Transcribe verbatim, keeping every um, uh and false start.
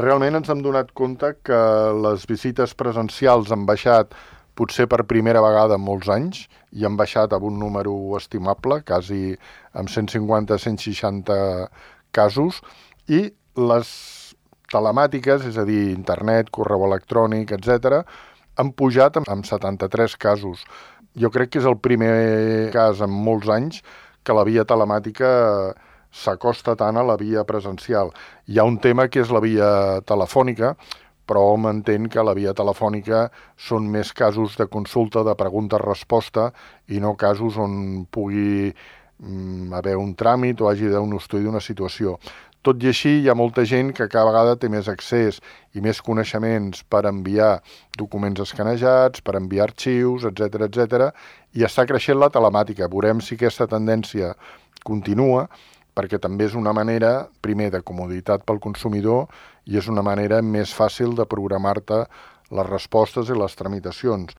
Realment ens hem donat compte que les visites presencials han baixat potser per primera vegada en molts anys i han baixat a un número estimable, quasi amb cent cinquanta a cent seixanta casos, i les telemàtiques, és a dir, internet, correu electrònic, etcètera, han pujat amb setanta-tres casos. Jo crec que és el primer cas en molts anys que la via telemàtica s'acosta tant a la via presencial. Hi ha un tema que és la via telefònica, però hom entén que la via telefònica són més casos de consulta, de pregunta-resposta, i no casos on pugui mm, haver un tràmit o hagi d'un estudi d'una situació. Tot i així, hi ha molta gent que cada vegada té més accés i més coneixements per enviar documents escanejats, per enviar arxius, etcètera, etcètera, i està creixent la telemàtica. Veurem si aquesta tendència continua, perquè també és una manera, primer, de comoditat pel consumidor i és una manera més fàcil de programar-te les respostes i les tramitacions.